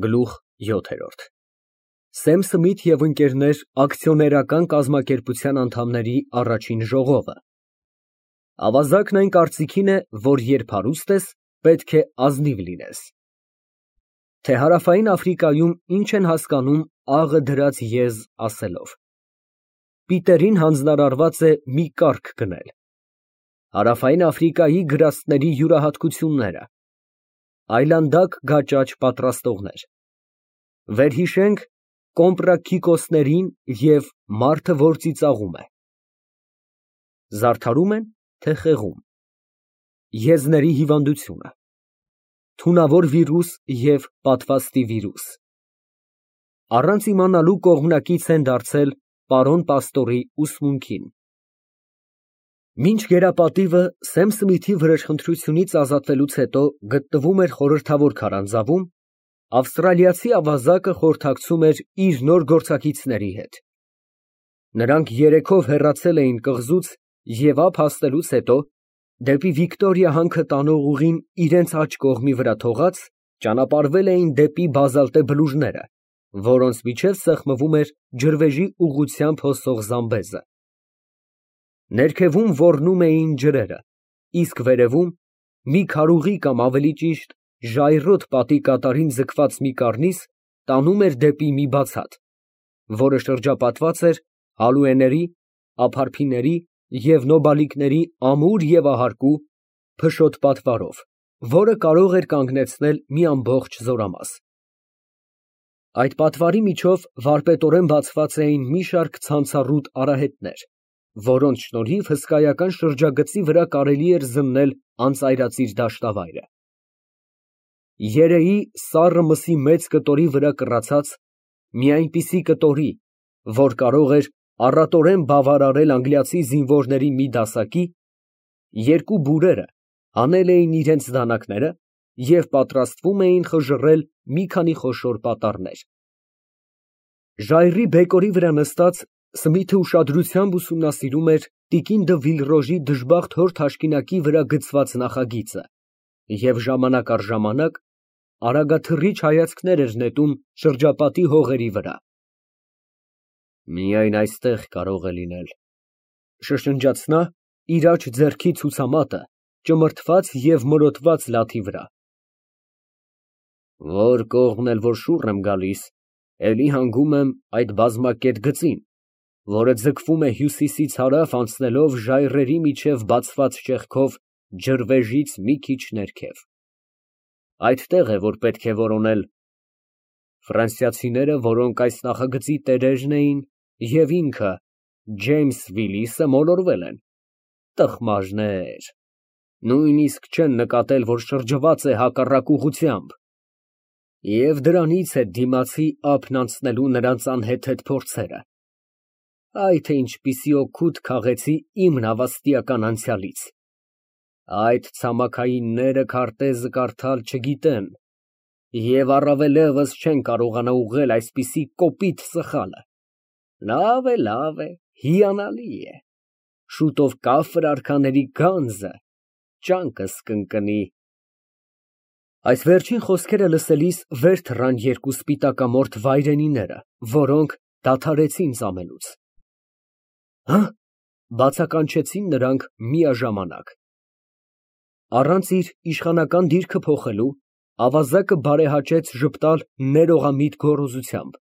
Գլուխ 7։ Սեմ Սմիթ և ընկերներ ակցիոներական կազմակերպության անդամների առաջին ժողովը։ Ավազակն այն կարծիքին է, որ երբ հարուստ ես, պետք է ազնիվ լինես։ Թե Հարավային Աֆրիկայում ինչ են հասկանում աղը դրած եզ ասելով։ Պիտերին հանձնարարված է մի կառք գնել։ Հարավային Աֆրիկայի գրաստների յուրահատկությունները։ Այլանդակ գաճաճ պատրաստողներ։ Վերհիշենք կոմպրաքիկոսներին և մարդը, որ ծիծաղում է։ Զարդարում են, թե խեղում։ Եզների հիվանդությունը։ Թունավոր վիրուս և պատվաստի վիրուս։ Առանց իմանալու կողմնակից են դարձել պարոն Պաստորի ուսմունքին։ Մինչ գերապատիվը Սեմ Սմիթի վրեժխնդրությունից ազատվելուց հետո գտնվում էր խորհրդավոր քարանձավում, ավստրալիացի ավազակը խորհրդակցում էր իր նոր գործակիցների հետ։ Նրանք երեքով հեռացել էին կղզուց և ափ հասնելուց հետո, դեպի Վիկտորիա հանքը տանող ուղին իրենց աջ կողմի վրա թողած, ճանապարհվել էին դեպի բազալտե բլուրները, որոնց միջև սեղմվում էր ջրվեժի ուղղությամբ հոսող զամբեզը։ Ներքևում ոռնում էին ջրերը, իսկ վերևում, մի քարուղի կամ ավելի ճիշտ ժայռոտ պատի կատարին ձգված մի կառնիզ տանում էր դեպի մի բացատ, որը շրջապատված էր ալուեների, ափարփիների և նոբալիկների ամուր և ահարկու, փշոտ պատվարով, որը կարող էր կանգնեցնել մի ամբողջ զորամաս։ Այդ պատվարի միջով վարպետորեն բացված էին մի շարք ցանցառուտ արահետներ, որոնց շնորհիվ հսկայական շրջագծի վրա կարելի էր զննել անծայրածիր դաշտավայրը։ Երեի սառը մսի մեծ կտորի վրա կռացած մի այնպիսի կտորի, որ կարող էր առատորեն բավարարել անգլիացի զինվորների մի դասակի, երկու բուրերը հանել էին իրենց դանակները և պատրաստվում էին խժռել մի քանի խոշոր պատառներ։ Ժայռի բեկորի վրա նստած Սմիթը ուշադրությամբ ուսումնասիրում էր տիկին դը Վիլրոժի դժբախտ հոր թաշկինակի վրա գծված նախագիծը և ժամանակ առ ժամանակ արագաթռիչ հայացքներ էր նետում շրջապատի հողերի վրա։ «Միայն այստեղ կարող է լինել», շշնջաց նա, իր աջ ձեռքի ցուցամատը ճմրթված և մորոտված լաթի վրա։ «Որ կողմն էլ որ շուռ եմ գալիս, էլի հանգում եմ այդ բազմակետ գծին, որը ձգվում է հյուսիսից հարավ անցնելով ժայռերի միջև բացված ճեղքով ջրվեժից մի քիչ ներքև։ Այդտեղ է, որ պետք է որոնել։ Ֆրանսիացիները, որոնք այս նախագծի տերերն էին, և ինքը, Ջեյմս Վիլիսը, մոլորվել են։ Տխմաժներ, նույնիսկ չեն նկատել, որ շրջված է հակառակ ուղղությամբ։ Եվ դրանից է դիմացի ափն անցնելու նրանց անհեթեթ փորձերը։ Այ թե ինչպիսի օգուտ քաղեցի իմ նավաստիական անցյալից։ Այդ ցամաքայինները քարտեզը կարդալ չգիտեն և առավելևս չեն կարողանա ուղղել այսպիսի կոպիտ սխալը։ Լավ է, հիանալի է։ Շուտով կաֆր արքաների գանձը ճանկս կընկնի։ Այս վերջին խոսքերը լսելիս վեր թռան երկու սպիտակամորթ վայրենիները, որոնք դադարեցին ծամենուց։ Հը՞, բացականչեցին նրանք միաժամանակ։ Առանց իր իշխանական դիրքը փոխելու, ավազակը բարեհաճեց ժպտալ ներողամիտ գոռոզությամբ։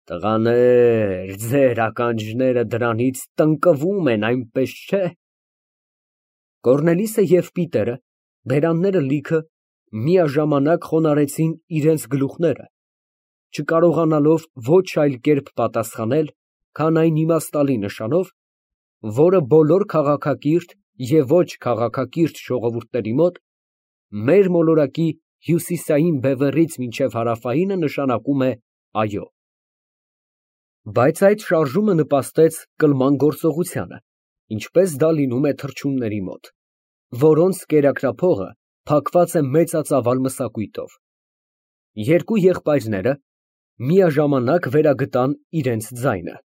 Տղաներ, ձեր ականջները դրանից տնկվում են, այնպես չէ։ Կոռնելիսը և Պիտերը, բերանները լիքը, միաժամանակ խոնարհեցին իրենց գլուխները, չկարողանալով ոչ այլ կերպ պատասխանել, քան այն իմաստալի նշանով, որը բոլոր քաղաքակիրթ և ոչ քաղաքակիրթ ժողովուրդների մոտ մեր մոլորակի հյուսիսային բևեռից մինչև հարավայինը նշանակում է այո։ Բայց այդ շարժումը նպաստեց կլման գործողությանը, ինչպես դա լինում է թռչունների մոտ, որոնց կերակրափողը փակված է մեծածավալ մսակույտով։ Երկու եղբայրները միաժամանակ վերագտան իրենց ձայնը։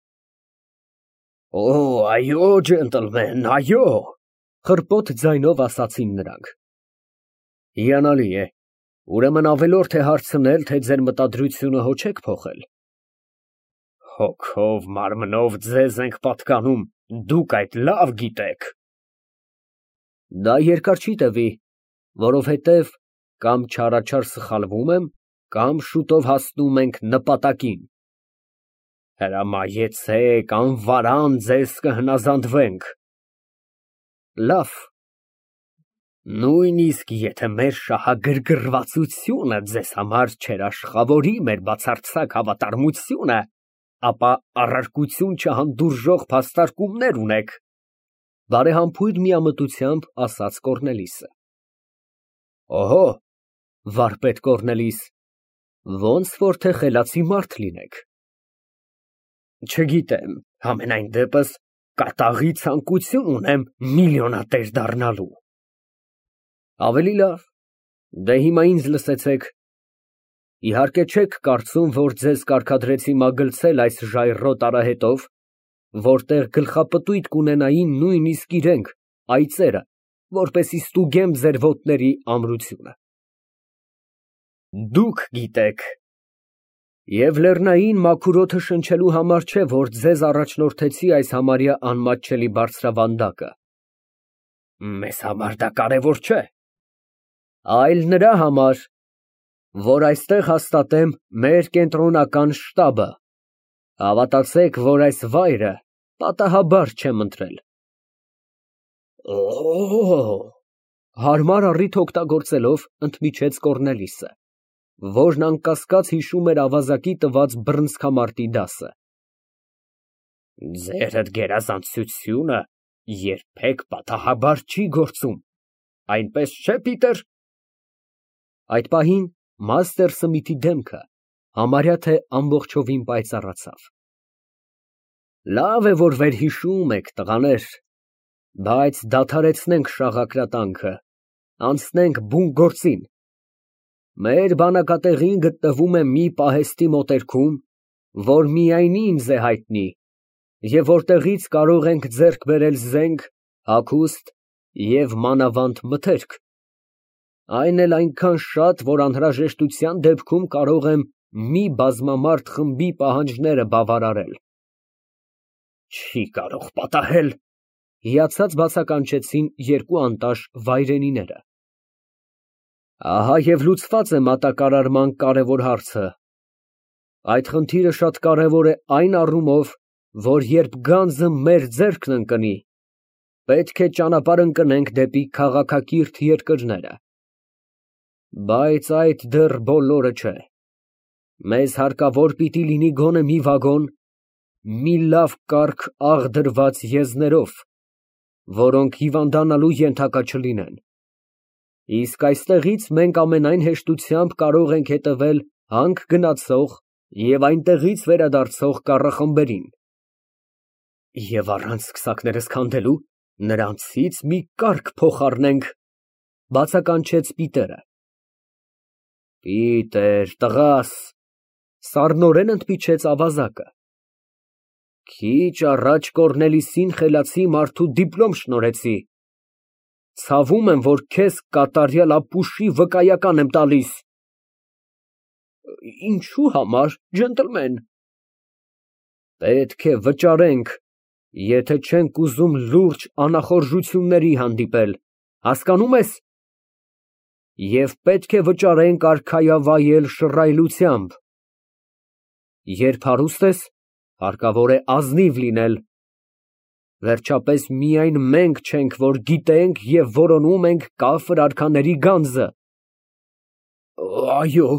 Օ, այո, ջենտլմեն, այո, խռպոտ ձայնով ասացին նրանք։ Հիանալի է, Ուրեմն ավելորդ է հարցնել, թե ձեր մտադրությունը հո չեք փոխել։ Հոգով, մարմնով ձեզ ենք պատկանում, դուք այդ լավ գիտեք։ Դա երկար չի տևի, որովհետև կամ չարաչար սխալվում եմ, կամ շուտով հասնում ենք նպատակին։ Հրամայեցեք, անվարան ձեզ կհնազանդվենք։ Լավ։ Նույնիսկ եթե մեր շահագրգռվածությունը ձեզ համար չէր աշխավորի մեր բացարձակ հավատարմությունը, ապա առարկություն չհանդուրժող փաստարկումներ ունեք, բարեհամբույր միամտությամբ ասաց Կոռնելիսը։ Օհո, վարպետ Կոռնելիս, ոնց որ թե խելացի մարդ լինեք։ Չգիտեմ, համենայն դեպս կատաղի ցանկություն ունեմ միլիոնատեր դառնալու։ Ավելի լավ, դե հիմա ինձ լսեցեք։ Իհարկե չեք կարծում, որ ձեզ կարգադրեցի մագլցել այս ժայռոտ արահետով, որտեղ գլխապտույտ կունենային նույնիսկ իրենք, այծերը, որպեսզի ստուգեմ ձեր ոտների ամրությունը։ Դուք գիտեք։ Եվ լեռնային մաքուր օդը շնչելու համար չէ, որ ձեզ առաջնորդեցի այս համարյա անմատչելի բարձրավանդակը։ Մեզ համար դա կարևոր չէ։ Այլ նրա համար, որ այստեղ հաստատեմ մեր կենտրոնական շտաբը, հավատացեք, որ այս վայրը պատահաբար չեմ ընտրել։ Հարմար առիթ օգտագործելով ընդմիջեց Կոռնելիսը, որն անկասկած հիշում էր ավազակի տված բռնցքամարտի դասը։ Ձերդ գերազանցությունը երբեք պատահաբար չի գործում, այնպես չէ, Պիտեր։ Այդ պահին մաստեր Սմիթի դեմքը համարյա թե ամբողջովին պայծառացավ։ Լավ է, որ վերհիշում եք, տղաներ, բայց դադարեցնենք շաղակրատանքը, անցնենք բուն գործին։ Մեր բանակատեղին գտնվում է մի պահեստի մոտերքում, որ միայն ինձ է հայտնի, և որտեղից կարող ենք ձեռք բերել զենք, հագուստ և մանավանդ մթերք։ Այն էլ այնքան շատ, որ անհրաժեշտության դեպքում կարող եմ մի բազմամարդ խմբի պահանջները բավարարել։ Չի կարող պատահել, հիացած բացականչեցին երկու անտաշ վայրենիները։ Ահա և լուծված է մատակարարման կարևոր հարցը։ Այդ խնդիրը շատ կարևոր է այն առումով, որ երբ գանձը մեր ձեռքն ընկնի, պետք է ճանապարհ ընկնենք դեպի քաղաքակիրթ երկրները։ Բայց այդ դեռ բոլորը չէ։ Մեզ հարկավոր պիտի լինի գոնե մի վագոն, մի լավ կարգ աղ դրված եզներով, որոնք հիվանդանալու ենթակա չլինեն։ Իսկ այստեղից մենք ամենայն հեշտությամբ կարող ենք հետևել հանք գնացող և այնտեղից վերադարձող կառախմբերին։ Եվ առանց քսակներս քանդելու նրանցից մի կարգ փոխառնենք, բացականչեց Պիտերը։ Պիտեր, տղաս, սառնորեն ընդմիջեց ավազակը։ Քիչ առաջ Կոռնելիսին խելացի մարդու դիպլոմ շնորհեցի։ Ցավում եմ, որ քեզ կատարյալ ապուշի վկայական եմ տալիս։ Ինչու համար, ջենտլմեն։ Պետք է վճարենք, եթե չենք ուզում լուրջ անախորժությունների հանդիպել, հասկանում ես։ Եվ պետք է վճարենք արքայավայել շռայլությամբ։ Երբ հարուստ ես, հարկավոր է ազնիվ լինել։ Վերջապես միայն մենք չենք, որ գիտենք և որոնում ենք կաֆր արքաների գանձը։ Այո,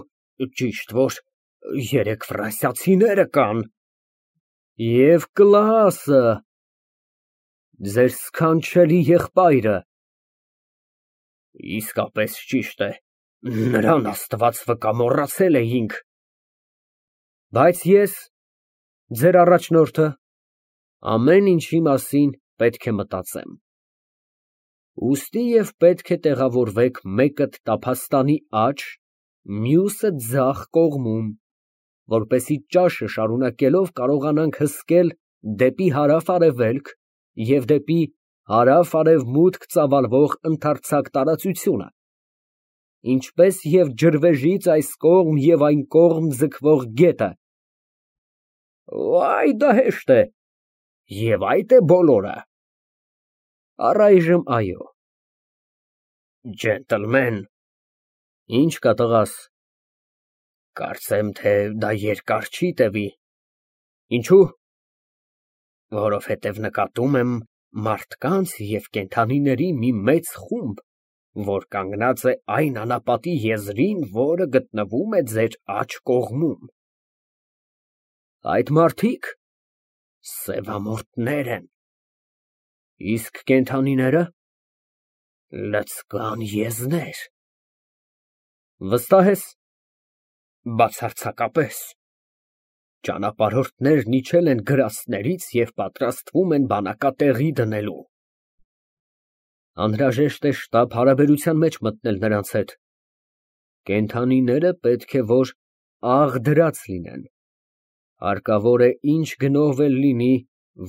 ճիշտ որ երեք ֆրանսիացիները կան։ Եվ Կլաասը, ձեր սքանչելի եղբայրը։ Իսկապես ճիշտ է, նրան Աստված վկա մոռացել էինք։ Բայց ես, ձեր առաջնորդը, ամեն ինչի մասին պետք է մտածեմ։ Ուստի և պետք է տեղավորվեք մեկը տափաստանի աջ, մյուսը ձախ կողմում, որպեսզի ճաշը շարունակելով կարողանանք հսկել դեպի հարավ֊արևելք և դեպի հարավ֊արևմուտք ծավալվող ընդարձակ տարածությունը։ ինչպես և ջրվեժից այս կողմ և այն կողմ ձգվող գետը։ Այ դա հեշտ է։ Եվ այդ է բոլորը։ Առայժմ այո։ Ջենտլմեն։ Ինչ կա, տղաս։ Կարծեմ, թե դա երկար չի տևի։ Ինչո՞ւ։ Որովհետև նկատում եմ մարդկանց և կենդանիների մի մեծ խումբ, որ կանգնած է այն անապատի եզրին, որը գտնվում է ձեր աջ կողմում։ Այդ մարդիկ սևամորթներ են։ Իսկ կենդանիները լցկան եզներ։ Վստահ ես։ Բացարձակապես։ Ճանապարհորդներն իջել են գրաստներից և պատրաստվում են բանակատեղի դնելու։ Անհրաժեշտ է շտապ հարաբերության մեջ մտնել նրանց հետ։ Կենդանիները պետք է որ աղդրած լինեն։ Հարկավոր է ինչ գնով էլ լինի,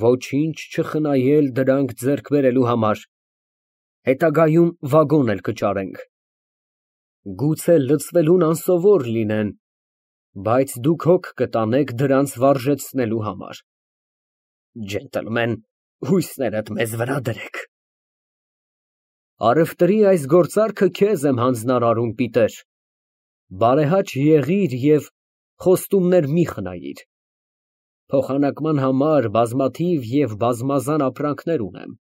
ոչինչ չխնայել դրանք ձեռք բերելու համար։ Հետագայում վագոն էլ կճարենք։ Գուցե լցվելուն անսովոր լինեն, բայց դուք հոգ կտանեք դրանց վարժեցնելու համար։ Ջենտլմեն, հույսներդ մեզ վրա դրեք։ Առևտրի այս գործարքը քեզ եմ հանձնարարում, Պիտեր։ Բարեհաճ եղիր և խոստումներ մի խնայիր։ Փոխանակման համար բազմաթիվ և բազմազան ապրանքներ ունեմ։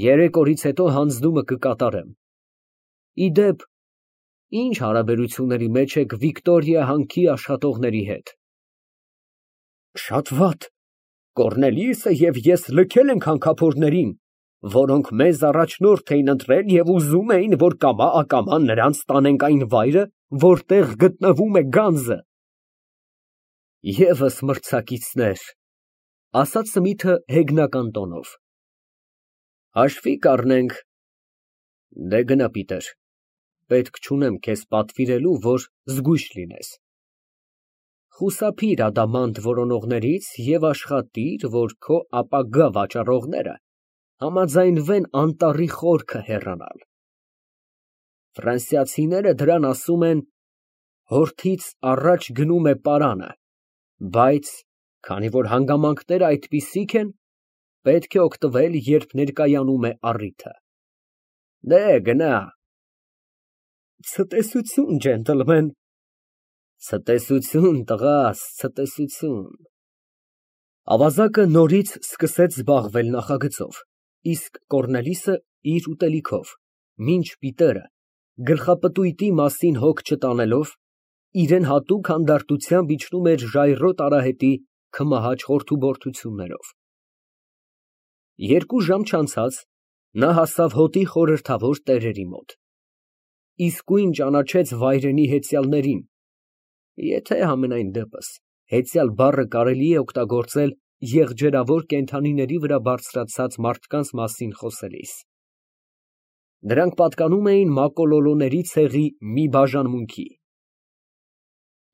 3 օրից հետո հանձնումը կկատարեմ։ Ի դեպ, ինչ հարաբերությունների մեջ եք Վիկտորիա հանքի աշխատողների հետ։ Շատ վատ։ Կոռնելիուսը և ես լքել ենք հանքափորներին, որոնք մեզ առաջնորդ էին ընտրել և ուզում էին, որ կամա֊ակամա նրանց տանենք այն վայրը, որտեղ գտնվում է գանձը։ Եվս մրցակիցներ, ասաց Սմիթը հեգնական տոնով։ Հաշվի կառնենք։ Դե գնա, Պիտեր, պետք չունեմ քեզ պատվիրելու, որ զգույշ լինես։ Խուսափիր ադամանդ որոնողներից և աշխատիր, որ քո ապագա վաճառողները համաձայնվեն անտառի խորքը հեռանալ։ Ֆրանսիացիները դրան ասում են հորթից առաջ գնում է պարանը, բայց քանի որ հանգամանքներն այդպիսիք են, պետք է օգտվել, երբ ներկայանում է առիթը։ Դե գնա։ Ցտեսություն, ջենտլմեն։ Ցտեսություն, տղաս, ցտեսություն։ Ավազակը նորից սկսեց զբաղվել նախագծով, իսկ Կոռնելիսը իր ուտելիքով, մինչ Պիտերը, գլխապտույտի մասին հոգ չտանելով, իրան հատուկ հանդարտությամբ իջնում էր ժայռոտ արահետի քմահաճ խորթուբորթություններով։ 2 ժամ չանցած նա հասավ հոտի խորհրդավոր տերերի մոտ։ Իսկույն ճանաչեց վայրենի հեծյալներին, եթե համենայն դեպս հեծյալ բառը կարելի է օգտագործել եղջերավոր կենդանիների վրա բարձրացած մարդկանց մասին խոսելիս։ Նրանք պատկանում էին մակոլոլոների ցեղի մի բաժանմունքի։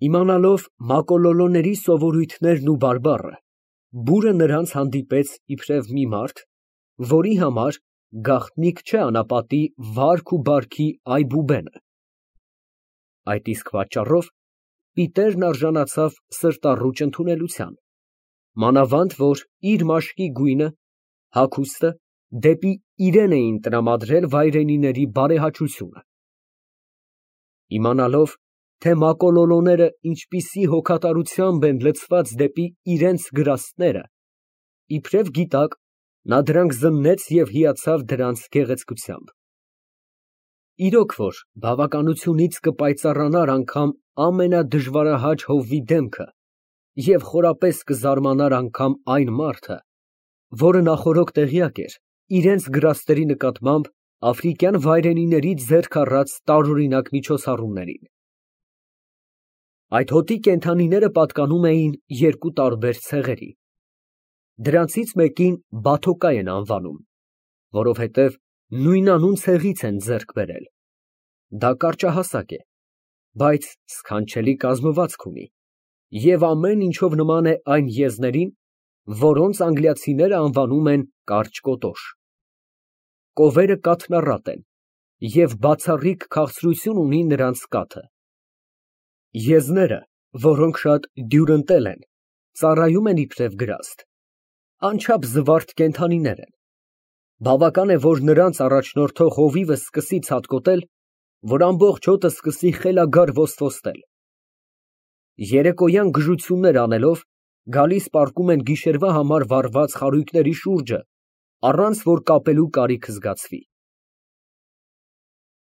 Իմանալով մակոլոլոների սովորույթներն ու բարբառը, բուրը նրանց հանդիպեց իբրև մի մարդ, որի համար գաղտնիք չէ անապատի վարք ու բարքի այբուբենը։ Այդ իսկ պատճառով Պիտերն արժանացավ սրտառուչ ընդունելության, մանավանդ որ իր մաշկի գույնը, հագուստը դեպի իրեն էին տրամադրել վայրենիների բարեհաճությունը։ Իմանալով, թե մակոլոլոները ինչպիսի հոգատարությամբ են լցված դեպի իրենց գրաստները, իբրև գիտակ, նա դրանք զննեց և հիացավ դրանց գեղեցկությամբ։ Իրոք որ բավականությունից կպայծառանար անգամ ամենադժվարահաճ հովվի դեմքը և խորապես կզարմանար անգամ այն մարդը, որը նախօրոք տեղյակ էր իրենց գրաստերի նկատմամբ աֆրիկյան վայրենիների ձեռք առած տարօրինակ միջոցառումներին։ Այդ հոտի կենդանիները պատկանում էին 2 տարբեր ցեղերի։ Դրանցից մեկին Բաթոկա են անվանում, որովհետև նույնանուն ցեղից են ձեռք բերել։ Դա կարճահասակ է, բայց սքանչելի կազմվածք ունի և ամեն ինչով նման է այն եզներին, որոնց անգլիացիները անվանում են կարճ կոտոշ։ Կովերը կաթնառատ են, և բացառիկ քաղցրություն ունի նրանց կաթը։ Եզները, որոնք շատ դյուրընտել են, ծառայում են իբրև գրաստ, անչափ զվարթ կենդանիներ են, բավական է, որ նրանց առաջնորդող հովիվը սկսի ցատկոտել, որ ամբողջ հոտը սկսի խելագար ոսկորսել։ Երեկոյան գժություններ անելով, գալիս պառկում են գիշերվա համար վառված խարույկների շուրջը, առանց որ կապելու կարիք զգացվի։